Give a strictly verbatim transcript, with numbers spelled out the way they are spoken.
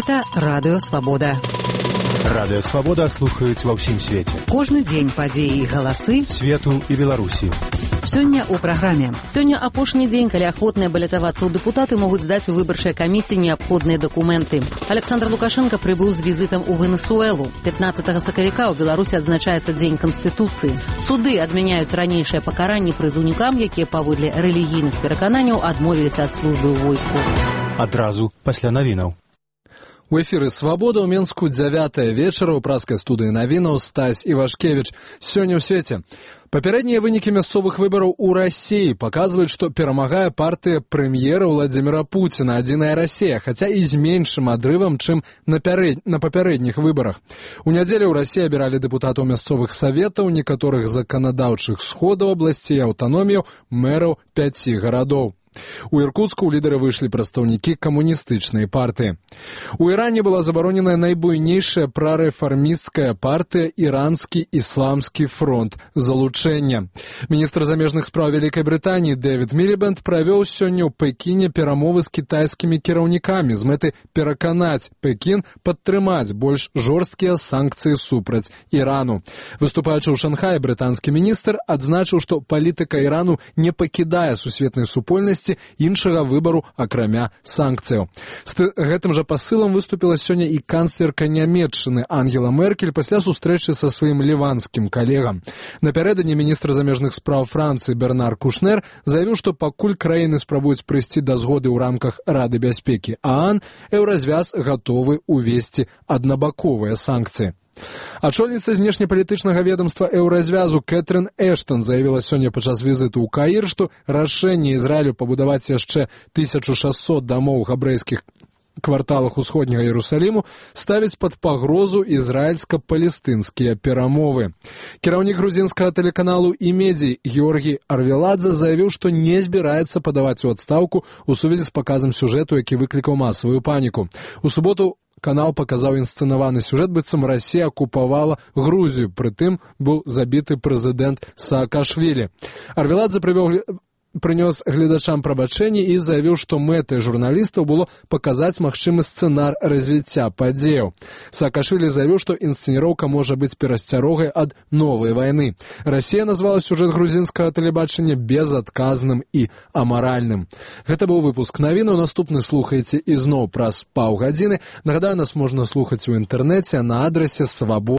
Гэта Радыё Свабода. Радыё Свабода слухаюць ва ўсім свеце. Кожны дзень падзеі і галасы свету і Беларусі. Сёння ў праграме. Сёння апошні дзень, калі ахвотныя балятавацца ў дэпутаты могуць здаць у выбарчай камісіі неабходныя дакументы. Александр Лукашенко прыбыў з візітам у Венесуэлу. пятнаццатага сакавіка ў Беларусі адзначаецца Дзень Канстытуцыі. Суды адмяняюць ранейшыя пакаранні прызыўнікам, якія паводле рэлігійных перакананняў адмовіліся ад службы ў войску. Адразу пасля навінаў. У эфіры «Свабода» ў Менску дзявятая вечара ў праскай студыі навінаў Стась Івашкевіч. Сёння ў свеце. Папярэднія вынікі мясцовых выбараў у Расіі паказваюць, што перамагае партыя прэм'ера Владзіміра Пуціна «Адзіная Расія», хаця і з меншым адрывам, чым на, пярэд... на папярэдніх выбарах. У нядзелю ў Расіі абіралі дэпутатаў мясцовых саветаў, некаторых заканадаўчых сходаў абласцей, аўтаноміяў, мэраў пяці гарадоў. У Іркуцку ў лідары выйшлі прадстаўнікі камуністычнай партыі. У Іране была забароненая найбуйнейшая прарэфармісцкая партыя «Іранскі ісламскі фронт залучэння». Міністр замежных спраў Вялікай Брытаніі Дэвід Мілібэнд правёў сёння ў Пекіне перамовы з кітайскімі кіраўнікамі з мэты пераканаць Пекін падтрымаць больш жорсткія санкцыі супраць Ірану. Выступаючы ў Шанхаі, брытанскі міністр адзначыў, што палітыка Ірану не пакідае сусветнай супольнасці іншага выбару, акрамя санкцыяў. З гэтым жа пасылам выступіла сёння і канцлерка Нямецчыны Ангела Меркель пасля сустрэчы са сваім ліванскім калегам. Напярэдадні міністр замежных спраў Францыі Бернар Кушнер заявіў, што пакуль краіны спрабуюць прыйсці да згоды ў рамках Рады бяспекі ААН, еўразвяз гатовы ўвесці аднабаковыя санкцыі. Ачольніца знешнепалітычнага ведомства еўразвязу Кэтрын Эштон заявіла сёння падчас візіту ў Каір, што рашэнне Ізраілю пабудаваць яшчэ тысячу шасцьсот дамоў у габрэйскіх кварталах усходняга Іерусаліму ставіць пад пагрозу ізраільска-палестынскія перамовы. Кіраўнік грузінскага тэлеканалу «Имедий» Георгій Арвеладзе заявіў, што не збіраецца падаваць у адстаўку ў сувязі з паказам сюжэту, які выклікаў масавую паніку. У суботу канал паказаў інсцэнаваны сюжэт, быццам Расія акупавала Грузію, прытым быў забіты прэзідэнт Саакашвілі. Арвеладзе прывёў прынёс гледачам прабачэнні і заявіў, што мэтай журналістаў было паказаць магчымы сцэнар развіцця падзеяў. Саакашвілі заявіў, што інсцэніроўка можа быць перасцярогай ад новай вайны. Расія назвала сюжэт грузінскага тэлебачання безадказным і амаральным. Гэта быў выпуск навінаў. Наступны слухаеце ізноў праз паўгадзіны. Нагадаю, нас можна слухаць у інтэрнэце на адрасе свабода.